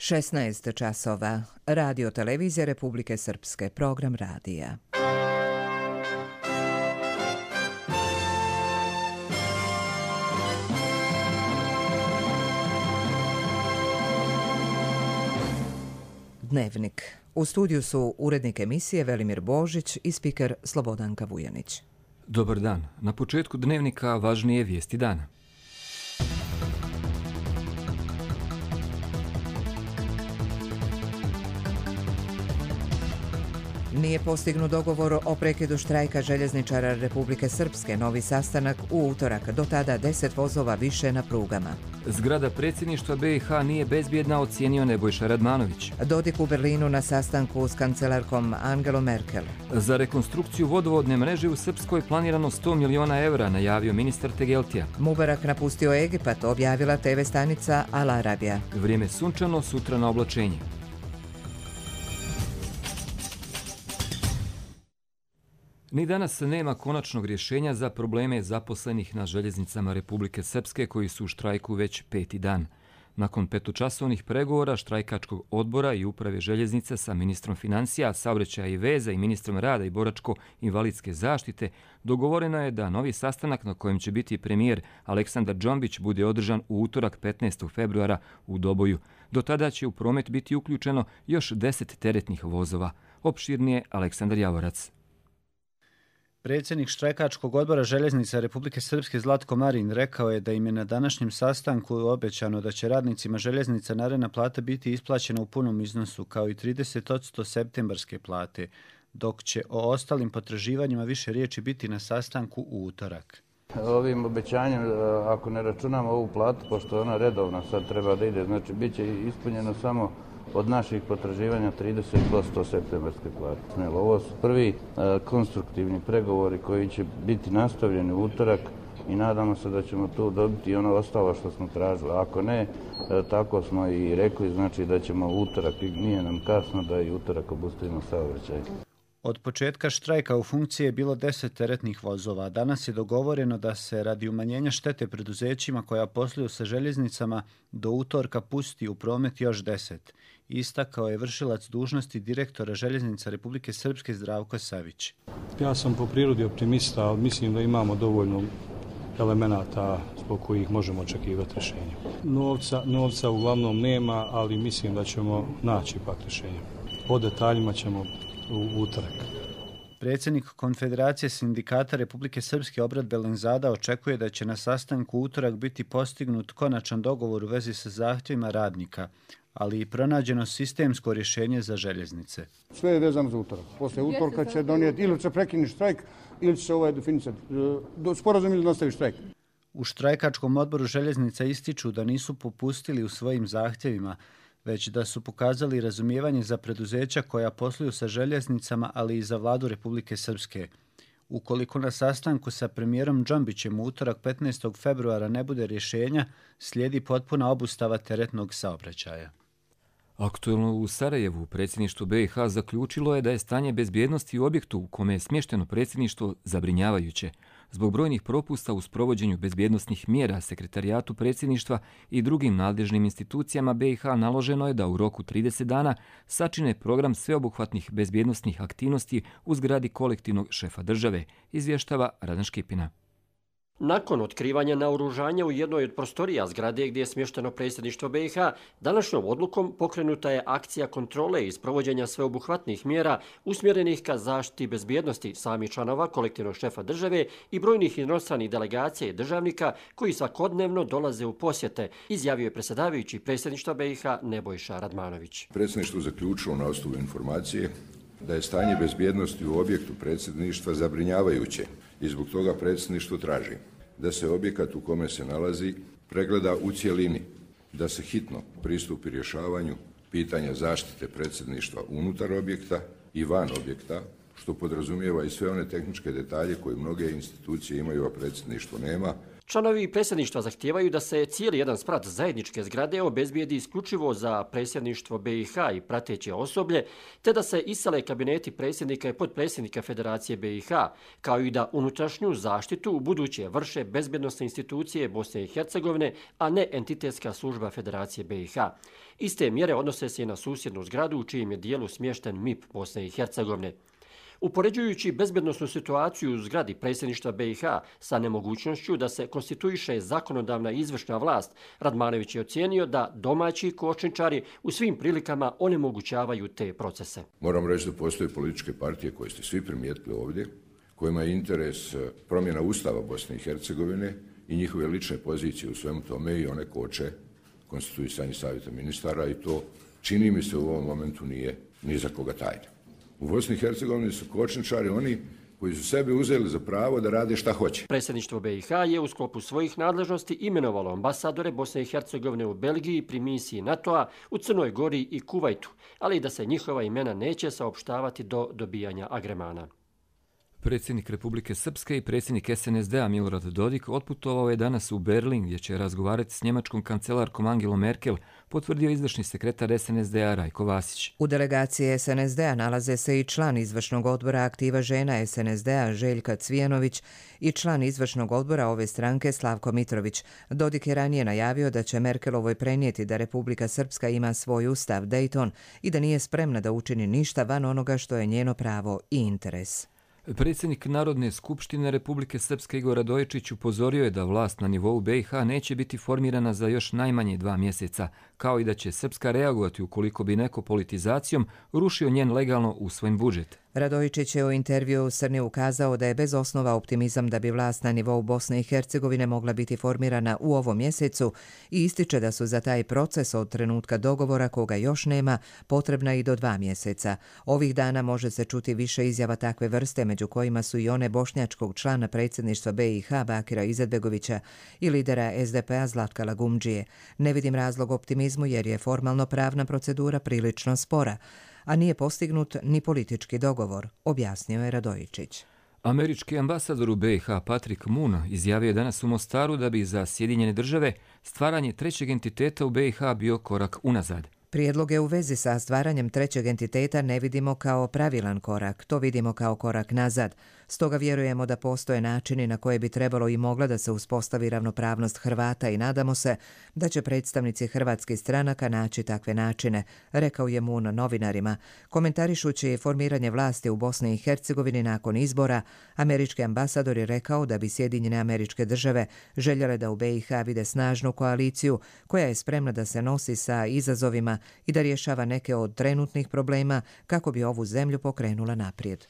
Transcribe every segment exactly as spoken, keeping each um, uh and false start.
šesnaest časova. Radio televizija Republike Srpske. Program radija. Dnevnik. U studiju su urednik emisije Velimir Božić i spiker Slobodanka Vujanić. Dobar dan. Na početku dnevnika važnije vijesti dana. Nije postignut dogovor o prekidu štrajka željezničara Republike Srpske. Novi sastanak u utorak. Do tada deset vozova više na prugama. Zgrada predsjedništva B i H nije bezbjedna, ocijenio Nebojša Radmanović. Dodik u Berlinu na sastanku s kancelarkom Angelom Merkel. Za rekonstrukciju vodovodne mreže u Srpskoj planirano sto miliona evra, najavio ministar Tegeltija. Mubarak napustio Egipat, objavila te ve stanica Al Arabija. Vrijeme sunčano, sutra na oblačenje. Ni danas nema konačnog rješenja za probleme zaposlenih na željeznicama Republike Srpske koji su u štrajku već peti dan. Nakon petočasovnih pregovora štrajkačkog odbora i uprave željeznice sa ministrom financija, saobraćaja i veza i ministrom rada i boračko-invalidske zaštite, dogovoreno je da novi sastanak na kojem će biti premijer Aleksandar Džombić bude održan u utorak petnaestog februara u Doboju. Do tada će u promet biti uključeno još deset teretnih vozova. Opširnije Aleksandar Javorac. Predsjednik štrajkačkog odbora željeznica Republike Srpske Zlatko Marin rekao je da im je na današnjem sastanku obećano da će radnicima željeznica naredna plata biti isplaćena u punom iznosu kao i trideset posto septembarske plate, dok će o ostalim potraživanjima više riječi biti na sastanku u utorak. Ovim obećanjem, ako ne računamo ovu platu, pošto ona redovna sad treba da ide, znači bit će ispunjeno samo od naših potraživanja trideset posto septembarske plate. Ovo su prvi e, konstruktivni pregovori koji će biti nastavljeni u utorak i nadamo se da ćemo tu dobiti ono ostalo što smo tražili. Ako ne, e, tako smo i rekli, znači da ćemo u utorak, i nije nam kasno da i utorak obustavimo saobraćaj. Od početka štrajka u funkciji je bilo deset teretnih vozova. Danas je dogovoreno da se radi umanjenja štete preduzećima koja posluju sa željeznicama do utorka pusti u promet još deset. Istakao je vršilac dužnosti direktora željeznica Republike Srpske Zdravko Savić. Ja sam po prirodi optimista, ali mislim da imamo dovoljno elemenata zbog kojih možemo očekivati rješenje. Novca, novca uglavnom nema, ali mislim da ćemo naći pak rješenje. O detaljima ćemo u utorak. Predsjednik Konfederacije sindikata Republike Srpske Obrat Belenzada očekuje da će na sastanku u utorak biti postignut konačan dogovor u vezi sa zahtjevima radnika, ali i pronađeno sistemsko rješenje za željeznice. Sve je vezano za utorak. Poslije utorka će donijeti ili će prekinuti štrajk ili će se ovaj definicati sporazum ili nastavi štrajk. U štrajkačkom odboru željeznica ističu da nisu popustili u svojim zahtjevima, već da su pokazali razumijevanje za preduzeća koja posluju sa željeznicama, ali i za vladu Republike Srpske. Ukoliko na sastanku sa premijerom Džombićem u utorak petnaestog februara ne bude rješenja, slijedi potpuna obustava teretnog saobraćaja. Aktuelno u Sarajevu predsjedništvo B i H zaključilo je da je stanje bezbjednosti u objektu u kome je smješteno predsjedništvo zabrinjavajuće. Zbog brojnih propusta u sprovođenju bezbjednosnih mjera Sekretarijatu predsjedništva i drugim nadležnim institucijama B i H naloženo je da u roku trideset dana sačine program sveobuhvatnih bezbjednosnih aktivnosti u zgradi kolektivnog šefa države, izvještava Radan Škipina. Nakon otkrivanja naoružanja u jednoj od prostorija zgrade gdje je smješteno predsjedništvo B i H, današnjom odlukom pokrenuta je akcija kontrole i sprovođenja sveobuhvatnih mjera usmjerenih ka zaštiti bezbjednosti samih članova kolektivnog šefa države i brojnih inostranih delegacija i državnika koji svakodnevno dolaze u posjete, izjavio je predsjedavajući predsjedništva B i H Nebojša Radmanović. Predsjedništvo zaključilo na osnovu informacije da je stanje bezbjednosti u objektu predsjedništva zabrinjavajuće i zbog toga predsjedništvo traži da se objekat u kome se nalazi pregleda u cjelini, da se hitno pristupi rješavanju pitanja zaštite predsjedništva unutar objekta i van objekta, što podrazumijeva i sve one tehničke detalje koje mnoge institucije imaju, a predsjedništvo nema. Članovi predsjedništva zahtijevaju da se cijeli jedan sprat zajedničke zgrade obezbijedi isključivo za predsjedništvo B i H i prateće osoblje, te da se isele kabineti predsjednika i potpredsjednika Federacije B i H, kao i da unutrašnju zaštitu u buduće vrše bezbjednosne institucije Bosne i Hercegovine, a ne entitetska služba Federacije B i H. Iste mjere odnose se i na susjednu zgradu u čijem je dijelu smješten M I P Bosne i Hercegovine. Upoređujući bezbednosnu situaciju u zgradi predsjedništva B i H sa nemogućnošću da se konstituiše zakonodavna i izvršna vlast, Radmanović je ocijenio da domaći kočničari u svim prilikama onemogućavaju te procese. Moram reći da postoje političke partije koje ste svi primijetili ovdje, kojima je interes promjena Ustava Bosne i Hercegovine i njihove lične pozicije u svemu tome i one koče konstituisanje savjeta ministara i to čini mi se u ovom momentu nije ni za koga tajno. U Bosni i Hercegovini su kočničari oni koji su sebi uzeli za pravo da rade šta hoće. Predsjedništvo B i H je u sklopu svojih nadležnosti imenovalo ambasadore Bosne i Hercegovine u Belgiji pri misiji NATO-a, u Crnoj Gori i Kuvajtu, ali i da se njihova imena neće saopštavati do dobijanja agremana. Predsjednik Republike Srpske i predsjednik S N S D-a Milorad Dodik otputovao je danas u Berlin gdje će razgovarati s njemačkom kancelarkom Angelom Merkel, potvrdio izvršni sekretar S N S D-a Rajko Vasić. U delegaciji S N S D-a nalaze se i član izvršnog odbora Aktiva žena S N S D-a Željka Cvijenović i član izvršnog odbora ove stranke Slavko Mitrović. Dodik je ranije najavio da će Merkelovoj prenijeti da Republika Srpska ima svoj ustav Dayton i da nije spremna da učini ništa van onoga što je njeno pravo i interes. Predsjednik Narodne skupštine Republike Srpske Igor Radojičić upozorio je da vlast na nivou B i H neće biti formirana za još najmanje dva mjeseca, kao i da će Srpska reagovati ukoliko bi neko politizacijom rušio njen legalno usvojen budžet. Radojičić je u intervju u Srni ukazao da je bez osnova optimizam da bi vlast na nivou Bosne i Hercegovine mogla biti formirana u ovom mjesecu i ističe da su za taj proces od trenutka dogovora, koga još nema, potrebna i do dva mjeseca. Ovih dana može se čuti više izjava takve vrste, među kojima su i one bošnjačkog člana predsjedništva B i H Bakira Izetbegovića i lidera S D P-a Zlatka Lagumdžije. Ne vidim razlog optimizmu jer je formalno pravna procedura prilično spora, a nije postignut ni politički dogovor, objasnio je Radojičić. Američki ambasador u B i H Patrick Moon izjavio je danas u Mostaru da bi za Sjedinjene države stvaranje trećeg entiteta u B i H bio korak unazad. Prijedloge u vezi sa stvaranjem trećeg entiteta ne vidimo kao pravilan korak, to vidimo kao korak nazad. Stoga vjerujemo da postoje načini na koje bi trebalo i mogla da se uspostavi ravnopravnost Hrvata i nadamo se da će predstavnici hrvatskih stranaka naći takve načine, rekao je Moon novinarima. Komentarišući formiranje vlasti u Bosni i Hercegovini nakon izbora, američki ambasador je rekao da bi Sjedinjene Američke Države željele da u B i H vide snažnu koaliciju koja je spremna da se nosi sa izazovima i da rješava neke od trenutnih problema kako bi ovu zemlju pokrenula naprijed.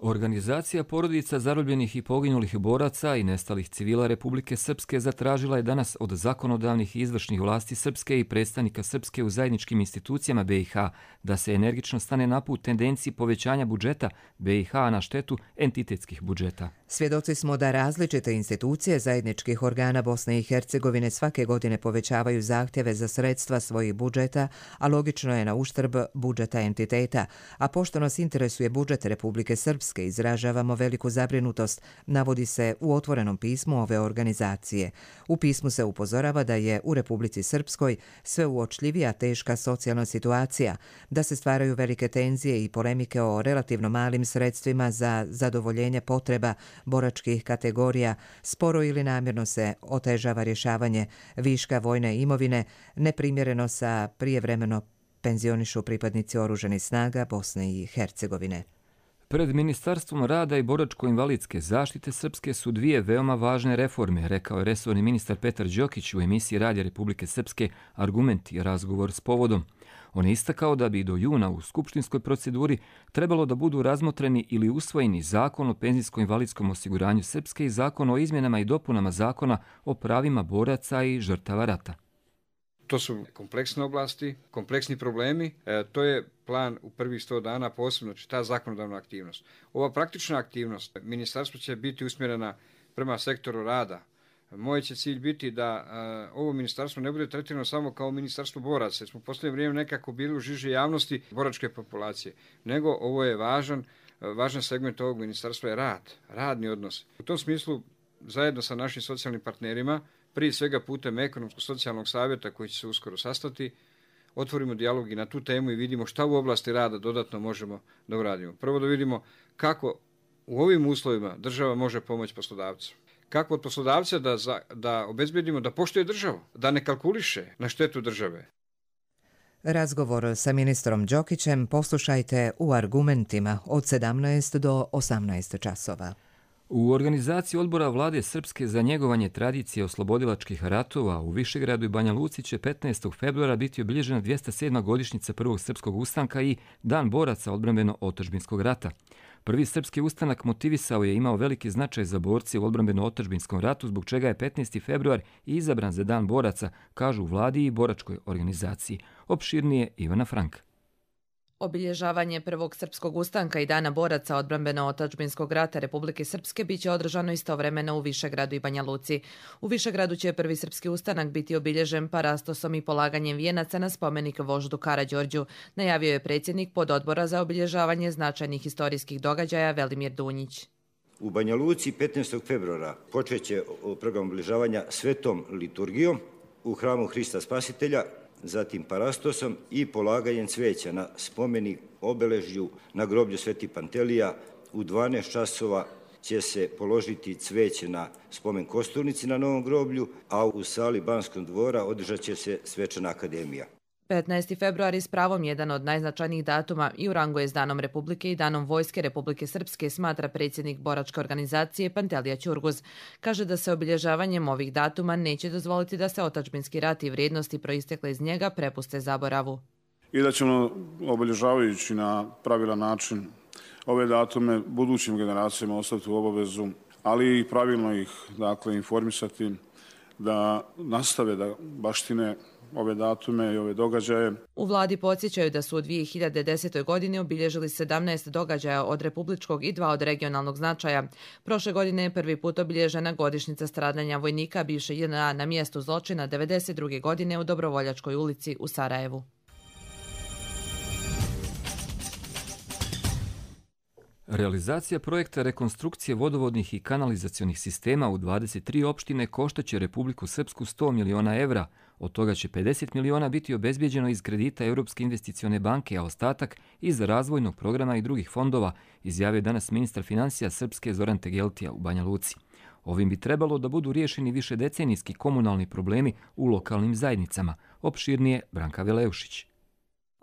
Organizacija porodica zarobljenih i poginulih boraca i nestalih civila Republike Srpske zatražila je danas od zakonodavnih i izvršnih vlasti Srpske i predstavnika Srpske u zajedničkim institucijama B i H da se energično stane na put tendenciji povećanja budžeta B i H na štetu entitetskih budžeta. Svjedoci smo da različite institucije zajedničkih organa Bosne i Hercegovine svake godine povećavaju zahtjeve za sredstva svojih budžeta, a logično je na uštrb budžeta entiteta. A pošto nas interesuje budžet Republike Srpske, izražavamo veliku zabrinutost, navodi se u otvorenom pismu ove organizacije. U pismu se upozorava da je u Republici Srpskoj sve uočljivija teška socijalna situacija, da se stvaraju velike tenzije i polemike o relativno malim sredstvima za zadovoljenje potreba boračkih kategorija, sporo ili namjerno se otežava rješavanje viška vojne imovine, neprimjereno sa prijevremeno penzionišu pripadnici oružanih snaga Bosne i Hercegovine. Pred Ministarstvom rada i boračko-invalidske zaštite Srpske su dvije veoma važne reforme, rekao je resorni ministar Petar Đokić u emisiji Radija Republike Srpske Argument i razgovor s povodom. On je istakao da bi do juna u skupštinskoj proceduri trebalo da budu razmotreni ili usvojeni Zakon o penzijsko-invalidskom osiguranju Srpske i Zakon o izmjenama i dopunama Zakona o pravima boraca i žrtava rata. To su kompleksne oblasti, kompleksni problemi. E, to je plan u prvih sto dana, posebno ta zakonodavna aktivnost. Ova praktična aktivnost ministarstvo će biti usmjerena prema sektoru rada, Moj će cilj biti da uh, ovo ministarstvo ne bude tretirano samo kao ministarstvo boraca, jer smo u posljednje vrijeme nekako bili u žiži javnosti boračke populacije, nego ovo je važan, uh, važan segment ovog ministarstva je rad, radni odnos. U tom smislu, zajedno sa našim socijalnim partnerima, prije svega putem ekonomsko-socijalnog savjeta koji će se uskoro sastati, otvorimo dijalog i na tu temu i vidimo šta u oblasti rada dodatno možemo da uradimo. Prvo da vidimo kako u ovim uslovima država može pomoći poslodavcu. Kako od poslodavca da, za, da obezbedimo da poštuje državu, da ne kalkuliše na štetu države. Razgovor sa ministrom Đokićem poslušajte u Argumentima od sedamnaest do osamnaest časova. U organizaciji odbora vlade Srpske za njegovanje tradicije oslobodilačkih ratova u Višegradu i Banja Luci će petnaestog februara biti obilježena dvjesto sedma godišnjica prvog srpskog ustanka i Dan boraca odbrambeno-otadžbinskog rata. Prvi srpski ustanak motivisao je imao veliki značaj za borce u odbrambeno-otadžbinskom ratu, zbog čega je petnaesti februar izabran za Dan boraca, kažu u vladi i boračkoj organizaciji. Opširnije Ivana Frank. Obilježavanje prvog srpskog ustanka i Dana boraca odbrambeno-otadžbinskog rata Republike Srpske biće održano istovremeno u Višegradu i Banja Luci. U Višegradu će prvi srpski ustanak biti obilježen parastosom i polaganjem vijenaca na spomenik voždu Karađorđu, najavio je predsjednik pododbora za obilježavanje značajnih historijskih događaja Velimir Dunjić. U Banja Luci petnaestog februara počeće program obilježavanja svetom liturgijom u hramu Hrista Spasitelja, zatim parastosom i polaganjem cveća na spomenik obeležju na groblju Sveti Pantelija. U dvanaest časova će se položiti cveće na spomen kosturnici na novom groblju, a u sali Banskog dvora održat će se svečana akademija. petnaesti februar je s pravom jedan od najznačajnijih datuma i u rangu je s Danom Republike i Danom Vojske Republike Srpske, smatra predsjednik boračke organizacije Pantelija Ćurguz. Kaže da se obilježavanjem ovih datuma neće dozvoliti da se otadžbinski rat i vrijednosti proistekle iz njega prepuste zaboravu. I da ćemo, obilježavajući na pravilan način ove datume, budućim generacijama ostati u obavezu, ali i pravilno ih, dakle, informisati da nastave da baštine ove datume i ove događaje. U vladi podsjećaju da su u dvije hiljade desetoj. godini obilježili sedamnaest događaja od republičkog i dva od regionalnog značaja. Prošle godine je prvi put obilježena godišnjica stradanja vojnika bivše J N A na mjestu zločina devedeset druge. godine u Dobrovoljačkoj ulici u Sarajevu. Realizacija projekta rekonstrukcije vodovodnih i kanalizacionih sistema u dvadeset tri opštine koštaće Republiku Srpsku sto miliona evra. Od toga će pedeset miliona biti obezbijeđeno iz kredita Europske investicione banke, a ostatak iz razvojnog programa i drugih fondova, izjavio danas ministar financija Srpske Zoran Tegeltija u Banja Luci. Ovim bi trebalo da budu riješeni višedecenijski komunalni problemi u lokalnim zajednicama. Opširnije Branka Veleušić.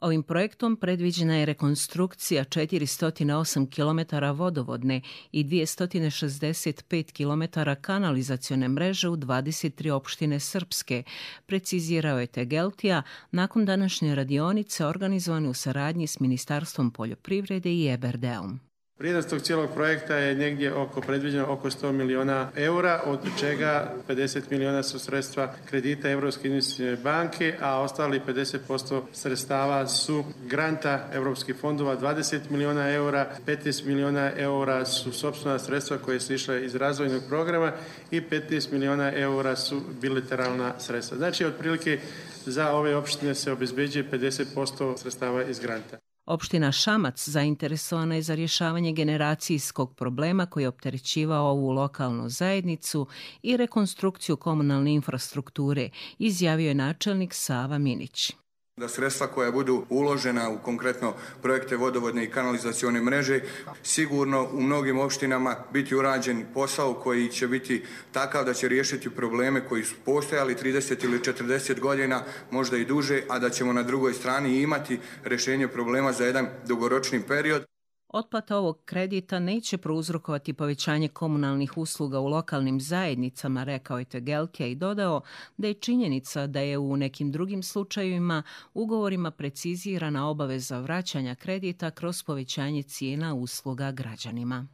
Ovim projektom predviđena je rekonstrukcija četiristo osam kilometara vodovodne i dvjesto šezdeset pet kilometara kanalizacione mreže u dvadeset tri opštine Srpske, precizirao je Tegeltija nakon današnje radionice organizovane u saradnji s Ministarstvom poljoprivrede i E B R D-om. Vrijednost tog cijelog projekta je negdje oko predviđeno oko sto miliona eura, od čega pedeset miliona su sredstva kredita Europske investicione banke, a ostali pedeset posto sredstava su granta europskih fondova, dvadeset miliona eura, petnaest miliona eura su sopstvena sredstva koje su išle iz razvojnog programa i petnaest miliona eura su bilateralna sredstva. Znači, otprilike za ove opštine se obezbeđuje pedeset posto sredstava iz granta. Opština Šamac zainteresovana je za rješavanje generacijskog problema koji je opterećivao ovu lokalnu zajednicu i rekonstrukciju komunalne infrastrukture, izjavio je načelnik Sava Minić. Da sredstva koja budu uložena u konkretno projekte vodovodne i kanalizacione mreže, sigurno u mnogim opštinama biti urađen posao koji će biti takav da će riješiti probleme koji su postojali trideset ili četrdeset godina, možda i duže, a da ćemo na drugoj strani imati rješenje problema za jedan dugoročni period. Otplata ovog kredita neće prouzrokovati povećanje komunalnih usluga u lokalnim zajednicama, rekao je Tegeltija i dodao da je činjenica da je u nekim drugim slučajevima ugovorima precizirana obaveza vraćanja kredita kroz povećanje cijena usluga građanima.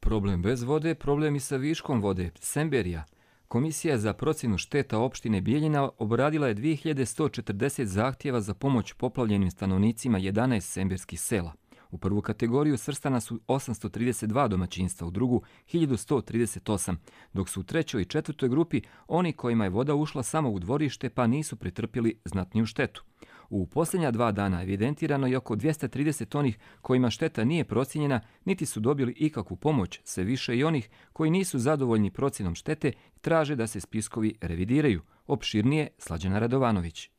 Problem bez vode, problem i sa viškom vode. Semberija. Komisija za procjenu šteta opštine Bijeljina obradila je dvije hiljade sto četrdeset zahtjeva za pomoć poplavljenim stanovnicima jedanaest semberskih sela. U prvu kategoriju svrstana su osamsto trideset dva domaćinstva, u drugu hiljadu sto trideset osam, dok su u trećoj i četvrtoj grupi oni kojima je voda ušla samo u dvorište pa nisu pretrpjeli znatniju štetu. U posljednja dva dana evidentirano je oko dvjesto trideset onih kojima šteta nije procijenjena, niti su dobili ikakvu pomoć, sve više i onih koji nisu zadovoljni procjenom štete i traže da se spiskovi revidiraju. Opširnije Slađana Radovanović.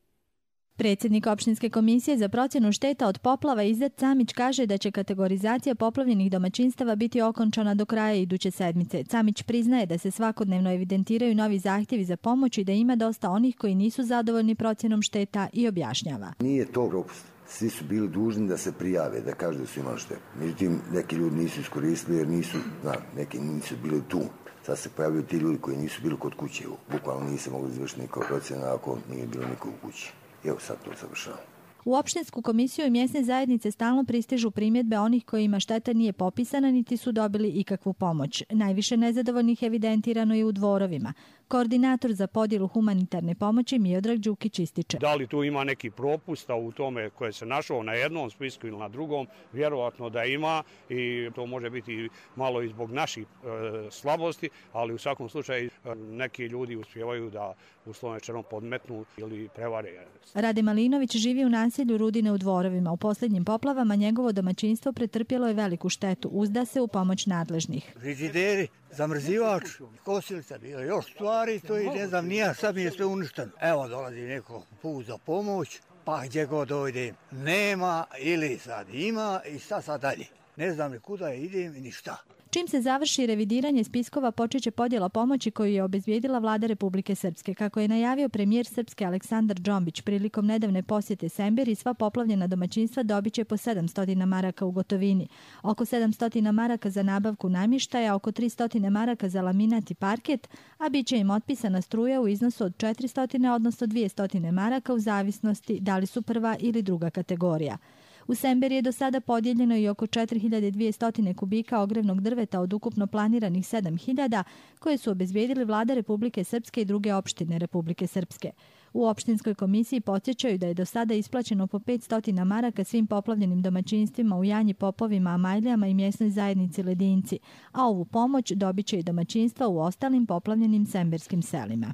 Predsjednik opštinske komisije za procjenu šteta od poplava Izet Camić kaže da će kategorizacija poplavljenih domaćinstava biti okončana do kraja iduće sedmice. Camić priznaje da se svakodnevno evidentiraju novi zahtjevi za pomoć i da ima dosta onih koji nisu zadovoljni procjenom šteta i objašnjava. Nije to propust. Svi su bili dužni da se prijave, da kažu da su imali štetu. Međutim, neki ljudi nisu iskoristili jer nisu, zna, neki nisu bili tu. Sad se pojavljaju ti ljudi koji nisu bili kod kuće. Bukvalno nisu mogli izvršiti nikog procjena ako nije bilo niko u kući. Evo sad to završavam. U opštinsku komisiju i mjesne zajednice stalno pristižu primjedbe onih kojima šteta nije popisana niti su dobili ikakvu pomoć. Najviše nezadovoljnih evidentirano je u Dvorovima. Koordinator za podjelu humanitarne pomoći Miodrag Đukić ističe. Da li tu ima neki propusta u tome koje se našao na jednom spisku ili na drugom? Vjerovatno da ima i to može biti malo i zbog naših e, slabosti, ali u svakom slučaju e, neki ljudi uspijevaju da uslovno rečeno podmetnu ili prevare. Rade Malinović živi u naselju Rudine u Dvorovima. U posljednjim poplavama njegovo domaćinstvo pretrpjelo je veliku štetu. Uzda se u pomoć nadležnih. Frižideri, zamrzivač, kosilica, bilo još stvari, to i ne znam, nija, sad mi je sve uništeno. Evo dolazi neko put za pomoć, pa gdje god dojdem, nema ili sad ima i šta sad dalje. Ne znam ni kuda idem ni šta. Čim se završi revidiranje spiskova, počeće podjela pomoći koju je obezbijedila vlada Republike Srpske. Kako je najavio premijer Srpske Aleksandar Džombić prilikom nedavne posjete Semberi, sva poplavljena domaćinstva dobit će po sedamsto maraka u gotovini. Oko sedamsto maraka za nabavku namještaja, oko tristo maraka za laminat i parket, a bit će im otpisana struja u iznosu od četiristo, odnosno dvjesto maraka u zavisnosti da li su prva ili druga kategorija. U Semberi je do sada podijeljeno i oko četiri hiljade dvjesto kubika ogrevnog drveta od ukupno planiranih sedam hiljada koje su obezbijedili vlada Republike Srpske i druge opštine Republike Srpske. U opštinskoj komisiji podsjećaju da je do sada isplaćeno po petsto maraka svim poplavljenim domaćinstvima u Janji, Popovima, Amajlijama i mjesnoj zajednici Ledinci, a ovu pomoć dobit će i domaćinstva u ostalim poplavljenim semberskim selima.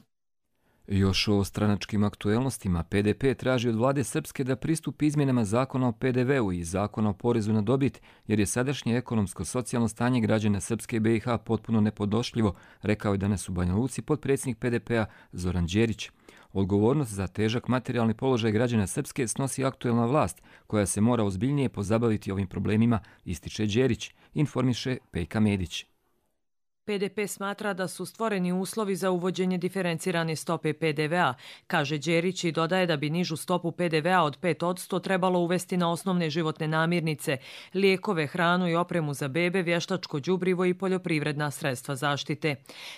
Još o stranačkim aktuelnostima, P D P traži od vlade Srpske da pristupi izmjenama zakona o P D V u i zakona o porezu na dobit, jer je sadašnje ekonomsko-socijalno stanje građana Srpske i B i H potpuno nepodošljivo, rekao je danas u Banja Luci potpredsjednik P D P-a Zoran Đerić. Odgovornost za težak materijalni položaj građana Srpske snosi aktuelna vlast, koja se mora ozbiljnije pozabaviti ovim problemima, ističe Đerić, informiše Pejka Medić. P D P smatra da su stvoreni uslovi za uvođenje diferencirane stope P D V-a, kaže Đerić i dodaje da bi nižu stopu P D V-a od pet posto trebalo uvesti na osnovne životne namirnice, lijekove, hranu i opremu za bebe, vještačko đubrivo i poljoprivredna sredstva zaštite.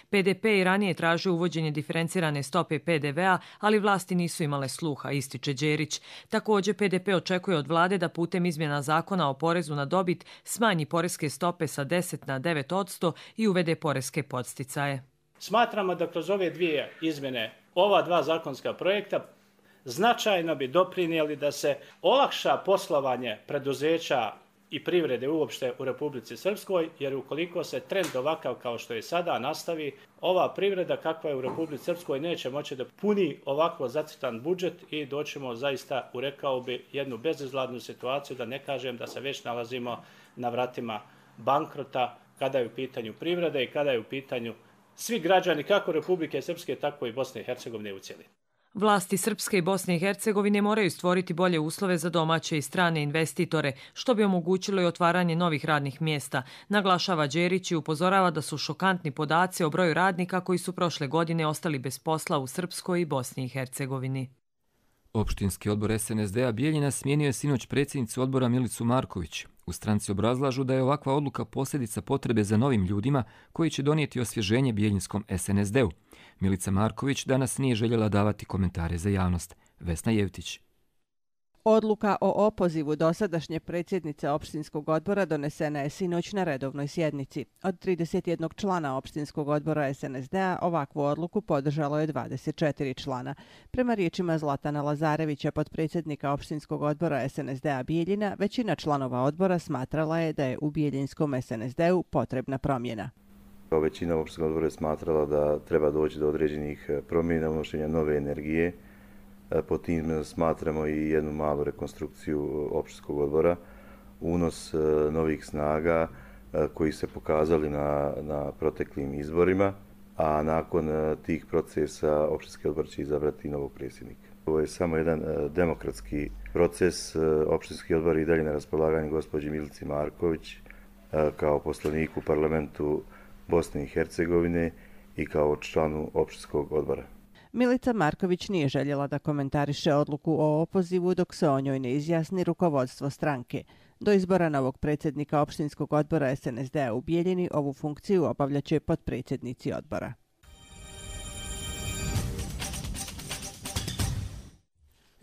P D P i ranije traži uvođenje diferencirane stope P D V-a, ali vlasti nisu imale sluha, ističe Đerić. Također P D P očekuje od vlade da putem izmjena zakona o porezu na dobit smanji poreske stope sa deset na devet posto i uvede poreske podsticaje. Smatramo da kroz ove dvije izmjene, ova dva zakonska projekta, značajno bi doprinijeli da se olakša poslovanje preduzeća i privrede uopšte u Republici Srpskoj, jer ukoliko se trend ovakav kao što je sada nastavi, ova privreda kakva je u Republici Srpskoj neće moći da puni ovako zacrtan budžet i doćemo zaista, u rekao bi, jednu bezizladnu situaciju, da ne kažem da se već nalazimo na vratima bankrota kada je u pitanju privreda i kada je u pitanju svi građani kako Republike Srpske, tako i Bosne i Hercegovine u cjelini. Vlasti Srpske i Bosne i Hercegovine moraju stvoriti bolje uslove za domaće i strane investitore, što bi omogućilo i otvaranje novih radnih mjesta, naglašava Đerić i upozorava da su šokantni podaci o broju radnika koji su prošle godine ostali bez posla u Srpskoj i Bosni i Hercegovini. Opštinski odbor S N S D-a Bijeljina smijenio je sinoć predsjednicu odbora Milicu Marković. U stranci obrazlažu da je ovakva odluka posljedica potrebe za novim ljudima koji će donijeti osvježenje bijeljinskom S N S D-u. Milica Marković danas nije željela davati komentare za javnost. Vesna Jevtić. Odluka o opozivu dosadašnje predsjednice opštinskog odbora donesena je sinoć na redovnoj sjednici. Od trideset jednog člana opštinskog odbora S N S D-a ovakvu odluku podržalo je dvadeset četiri člana. Prema riječima Zlatana Lazarevića, potpredsjednika opštinskog odbora S N S D-a Bijeljina, većina članova odbora smatrala je da je u Bijeljinskom S N S D-u potrebna promjena. Većina opštinskog odbora je smatrala da treba doći do određenih promjena, unošenja nove energije. Po tim smatramo i jednu malu rekonstrukciju opštinskog odbora, unos novih snaga koji se pokazali na, na proteklim izborima, a nakon tih procesa opštinski odbor će izabrati novog predsjednika. Ovo je samo jedan demokratski proces. Opštinski odbor i dalje na raspolaganju gospođi Milici Marković kao poslaniku u parlamentu Bosne i Hercegovine i kao članu opštinskog odbora. Milica Marković nije željela da komentariše odluku o opozivu dok se o njoj ne izjasni rukovodstvo stranke. Do izbora novog predsjednika opštinskog odbora S N S D-a u Bijeljini ovu funkciju obavljaće potpredsjednici odbora.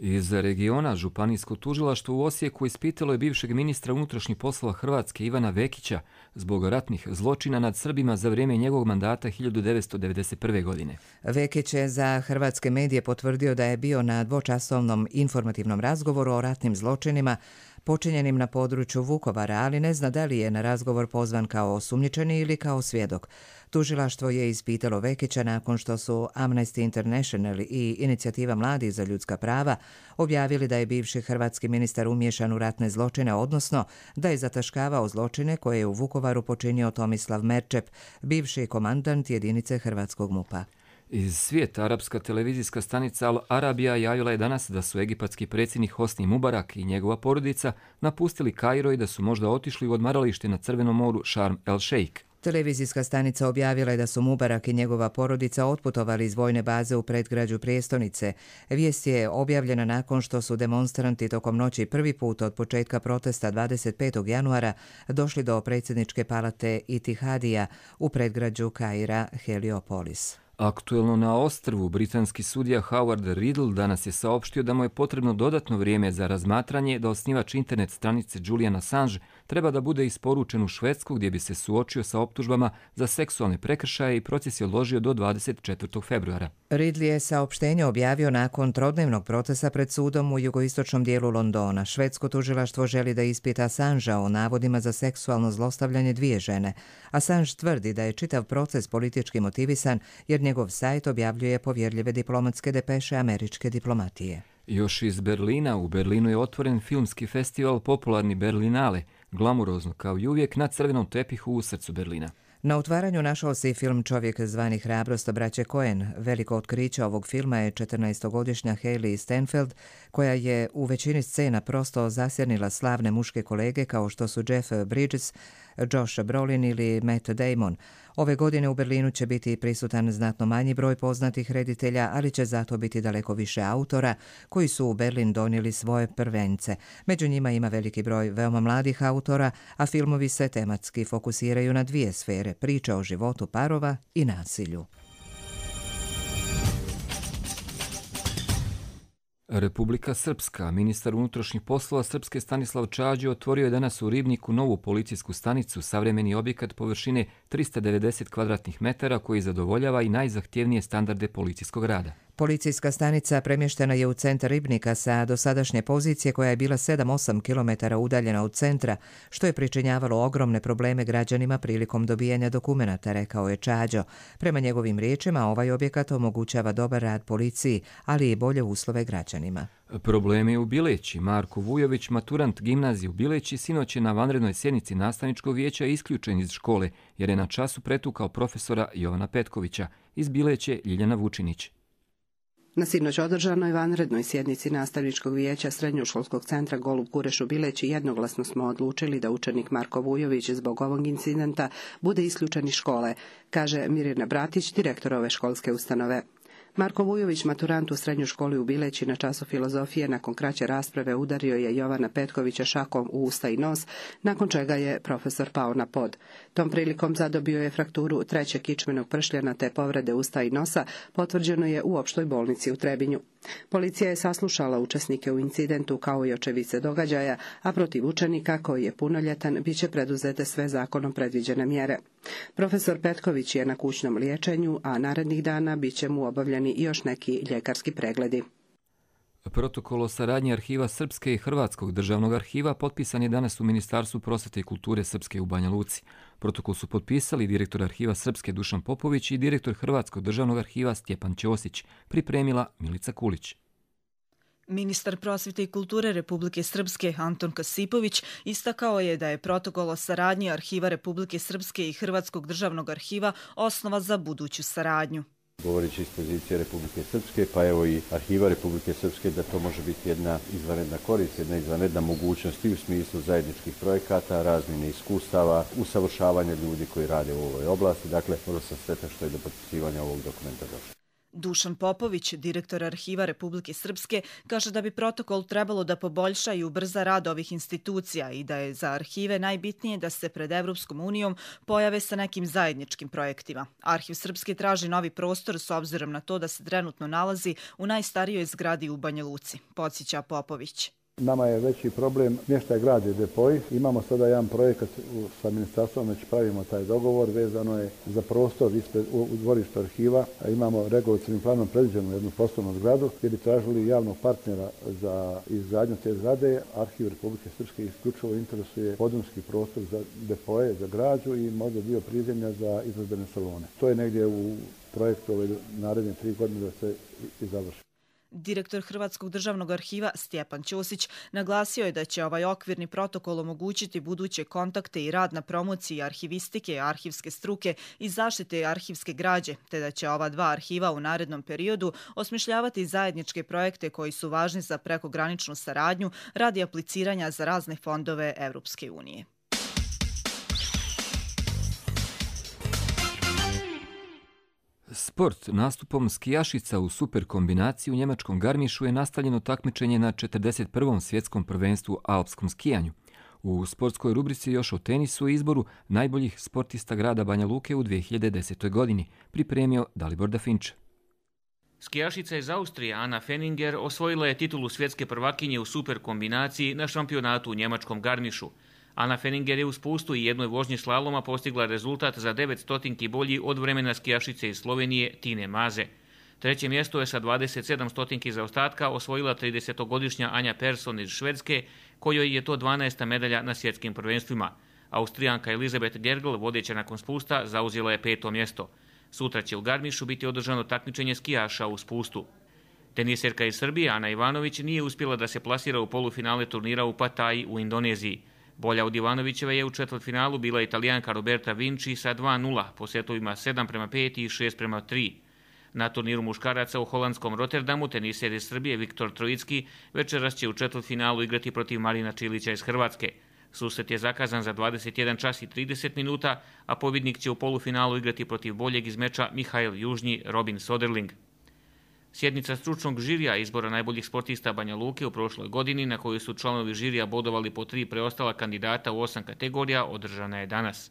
Iz regiona Županijsko tužilaštvo u Osijeku ispitalo je bivšeg ministra unutrašnjih poslova Hrvatske Ivana Vekića zbog ratnih zločina nad Srbima za vrijeme njegovog mandata hiljadu devetsto devedeset prve. godine. Vekić je za hrvatske medije potvrdio da je bio na dvočasovnom informativnom razgovoru o ratnim zločinima počinjenim na području Vukovara, ali ne zna da li je na razgovor pozvan kao osumnjičeni ili kao svjedok. Tužilaštvo je ispitalo Vekića nakon što su Amnesty International i Inicijativa mladih za ljudska prava objavili da je bivši hrvatski ministar umiješan u ratne zločine, odnosno da je zataškavao zločine koje je u Vukovaru počinio Tomislav Merčep, bivši komandant jedinice hrvatskog MUP-a. Iz svijeta arapska televizijska stanica Al Arabija javila je danas da su egipatski predsjednik Hosni Mubarak i njegova porodica napustili Kairo i da su možda otišli u odmaralište na Crvenom moru Sharm el Sheikh. Televizijska stanica objavila je da su Mubarak i njegova porodica otputovali iz vojne baze u predgrađu prijestolnice. Vijest je objavljena nakon što su demonstranti tokom noći prvi put od početka protesta dvadeset petog januara došli do predsjedničke palate Itihadija u predgrađu Kaira Heliopolis. Aktuelno na ostrvu, britanski sudija Howard Riddle danas je saopštio da mu je potrebno dodatno vrijeme za razmatranje da osnivač internet stranice Julian Assange treba da bude isporučen u Švedsku gdje bi se suočio sa optužbama za seksualne prekršaje i proces je odložio do dvadeset četvrtog februara. Ridley je saopštenje objavio nakon trodnevnog procesa pred sudom u jugoistočnom dijelu Londona. Švedsko tužilaštvo želi da ispita Assangea o navodima za seksualno zlostavljanje dvije žene. Assange tvrdi da je čitav proces politički motivisan jer njegov sajt objavljuje povjerljive diplomatske depeše američke diplomatije. Još iz Berlina, u Berlinu je otvoren filmski festival popularni Berlinale, glamurozno kao i uvijek na crvenom tepihu u srcu Berlina. Na otvaranju našao se i film Čovjek zvani Hrabrost braće Coen. Veliko otkriće ovog filma je četrnaestogodišnja Hailey Steinfeld, koja je u većini scena prosto zasjernila slavne muške kolege kao što su Jeff Bridges, Josh Brolin ili Matt Damon. Ove godine u Berlinu će biti prisutan znatno manji broj poznatih reditelja, ali će zato biti daleko više autora koji su u Berlin donijeli svoje prvence. Među njima ima veliki broj veoma mladih autora, a filmovi se tematski fokusiraju na dvije sfere, priča o životu parova i nasilju. Republika Srpska, ministar unutrašnjih poslova Srpske Stanislav Čađo otvorio je danas u Ribniku novu policijsku stanicu, savremeni objekat površine trista devedeset kvadratnih metara koji zadovoljava i najzahtjevnije standarde policijskog rada. Policijska stanica premještena je u centar Ribnika sa dosadašnje pozicije koja je bila sedam do osam kilometara udaljena od centra, što je pričinjavalo ogromne probleme građanima prilikom dobijanja dokumenata, rekao je Čađo. Prema njegovim riječima, ovaj objekat omogućava dobar rad policiji, ali i bolje uslove građanima. Probleme u Bileći. Marko Vujović, maturant gimnazije u Bileći, sinoć je na vanrednoj sjednici nastavničkog vijeća isključen iz škole, jer je na času pretukao profesora Jovana Petkovića. Iz Bileće Ljiljana Vučinić. Na sinoć održanoj vanrednoj sjednici nastavničkog vijeća Srednjoškolskog centra Golub Kureš u Bileći jednoglasno smo odlučili da učenik Marko Vujović zbog ovog incidenta bude isključen iz škole, kaže Mirjana Bratić, direktor ove školske ustanove. Marko Vujović, maturant u srednjoj školi u Bileći, na času filozofije nakon kraće rasprave udario je Jovana Petkovića šakom u usta i nos, nakon čega je profesor pao na pod. Tom prilikom zadobio je frakturu trećeg kičmenog pršljana te povrede usta i nosa, potvrđeno je u opštoj bolnici u Trebinju. Policija je saslušala učesnike u incidentu kao i očevice događaja, a protiv učenika koji je punoljetan bit će preduzete sve zakonom predviđene mjere. Profesor Petković je na kućnom liječenju, a narednih dana bit će mu obavljeni i još neki ljekarski pregledi. Protokol o saradnji Arhiva Srpske i Hrvatskog državnog arhiva potpisan je danas u Ministarstvu prosvete i kulture Srpske u Banja Luci. Protokol su potpisali direktor Arhiva Srpske Dušan Popović i direktor Hrvatskog državnog arhiva Stjepan Ćosić, pripremila Milica Kulić. Ministar prosvete i kulture Republike Srpske Anton Kasipović istakao je da je protokol o saradnji Arhiva Republike Srpske i Hrvatskog državnog arhiva osnova za buduću saradnju. Govoreći iz pozicije Republike Srpske, pa evo i Arhiva Republike Srpske, da to može biti jedna izvanredna korist, jedna izvanredna mogućnost i u smislu zajedničkih projekata, razmjene iskustava, usavršavanja ljudi koji rade u ovoj oblasti. Dakle, vrlo sam sretan što je do potpisivanja ovog dokumenta došlo. Dušan Popović, direktor Arhiva Republike Srpske, kaže da bi protokol trebalo da poboljša i ubrza rad ovih institucija i da je za arhive najbitnije da se pred Evropskom unijom pojave sa nekim zajedničkim projektima. Arhiv Srpske traži novi prostor s obzirom na to da se trenutno nalazi u najstarijoj zgradi u Banja Luci, podsjeća Popović. Nama je veći problem smještaj građe depoji. Imamo sada jedan projekat sa ministarstvom, već pravimo taj dogovor, vezano je za prostor ispred, u, u dvorištu arhiva. Imamo regulatornim planom predviđenu jednu poslovnu zgradu gdje bi tražili javnog partnera za izgradnju te zgrade. Arhiv Republike Srpske isključivo interesuje podrumski prostor za depoje, za građu i možda dio prizemlja za izložbene salone. To je negdje u projektu ove naredne tri godine da se i završi. Direktor Hrvatskog državnog arhiva Stjepan Ćosić naglasio je da će ovaj okvirni protokol omogućiti buduće kontakte i rad na promociji arhivistike, arhivske struke i zaštite arhivske građe, te da će ova dva arhiva u narednom periodu osmišljavati zajedničke projekte koji su važni za prekograničnu saradnju radi apliciranja za razne fondove Evropske unije. Sport nastupom skijašica u super kombinaciji u njemačkom Garmišu je nastavljeno takmičenje na četrdeset prvom svjetskom prvenstvu alpskom skijanju. U sportskoj rubrici još o tenisu i izboru najboljih sportista grada Banja Luke u dvije hiljade desetoj. godini pripremio Dalibor Dafinče. Skijašica iz Austrije Anna Fenninger osvojila je titulu svjetske prvakinje u super kombinaciji na šampionatu u njemačkom Garmišu. Ana Fenninger je u spustu i jednoj vožnji slaloma postigla rezultat za devet stotinki bolji od vremena skijašice iz Slovenije Tine Maze. Treće mjesto je sa dvadeset sedam stotinki zaostatka osvojila tridesetogodišnja Anja Persson iz Švedske, kojoj je to dvanaesta medalja na svjetskim prvenstvima. Austrijanka Elizabeth Gergel, vodeća nakon spusta, zauzela je peto mjesto. Sutra će u Garmišu biti održano takmičenje skijaša u spustu. Teniserka iz Srbije Ana Ivanović nije uspjela da se plasira u polufinale turnira u Pataji u Indoneziji. Bolja od Ivanovićeve je u četvrtfinalu bila Italijanka Roberta Vinci sa dva nula po setovima sedam prema pet i šest prema tri. Na turniru muškaraca u holandskom Rotterdamu teniser iz Srbije Viktor Trojicki večeras će u četvrtfinalu igrati protiv Marina Čilića iz Hrvatske. Susret je zakazan za dvadeset jedan čas i trideset minuta, a pobjednik će u polufinalu igrati protiv boljeg iz meča Mihail Južnji Robin Soderling. Sjednica stručnog žirija izbora najboljih sportista Banja Luke u prošloj godini, na kojoj su članovi žirija bodovali po tri preostala kandidata u osam kategorija, održana je danas.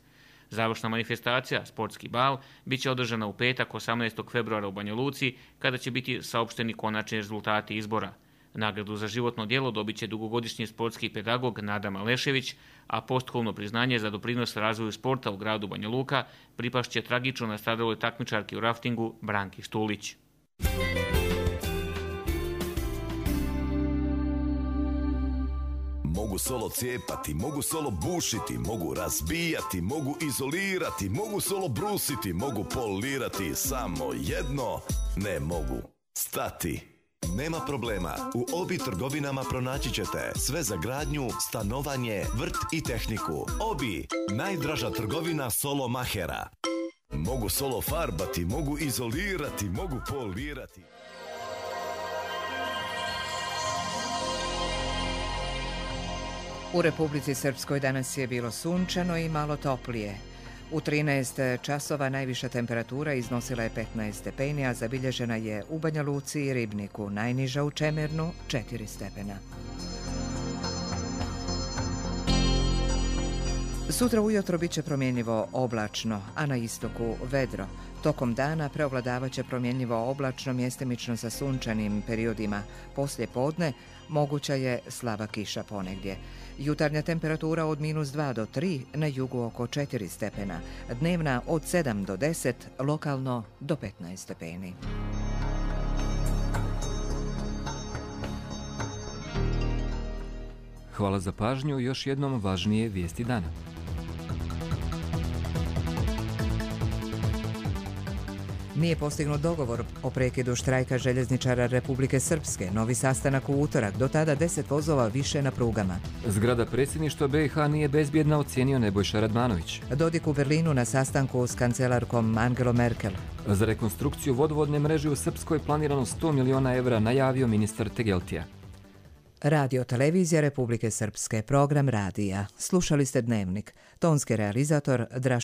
Završna manifestacija, sportski bal, bit će održana u petak osamnaestog februara u Banja Luci, kada će biti saopšteni konačni rezultati izbora. Nagradu za životno djelo dobit će dugogodišnji sportski pedagog Nada Malešević, a postkolno priznanje za doprinos razvoju sporta u gradu Banja Luka pripašće tragično nastradaloj takmičarki u raftingu Branki Štulić. Mogu solo cijepati, mogu solo bušiti, mogu razbijati, mogu izolirati, mogu solo brusiti, mogu polirati, samo jedno ne mogu stati. Nema problema, u Obi trgovinama pronaći ćete sve za gradnju, stanovanje, vrt i tehniku. Obi, najdraža trgovina solo mahera. Mogu solo farbati, mogu izolirati, mogu polirati. U Republici Srpskoj danas je bilo sunčano i malo toplije. U trinaest časova najviša temperatura iznosila je petnaest stepeni, a zabilježena je u Banja Luci i Ribniku, najniža u Čemernu četiri stepena. Sutra ujutro bit će promjenjivo oblačno, a na istoku vedro. Tokom dana preovladavaće promjenjivo oblačno, mjestimično sa sunčanim periodima. Poslije podne moguća je slaba kiša ponegdje. Jutarnja temperatura od minus dva do tri, na jugu oko četiri stepena. Dnevna od sedam do deset, lokalno do petnaest stepeni. Hvala za pažnju, još jednom važnije vijesti dana. Nije postignut dogovor o prekidu štrajka željezničara Republike Srpske. Novi sastanak u utorak, do tada deset vozova više na prugama. Zgrada predsjedništva B i H nije bezbjedna, ocijenio Nebojša Radmanović. Dodik u Berlinu na sastanku s kancelarkom Angelom Merkel. Za rekonstrukciju vodovodne mreže u Srpskoj planirano sto miliona evra, najavio ministar Tegeltija. Radio televizija Republike Srpske, program radija. Slušali ste Dnevnik. Tonski realizator Draž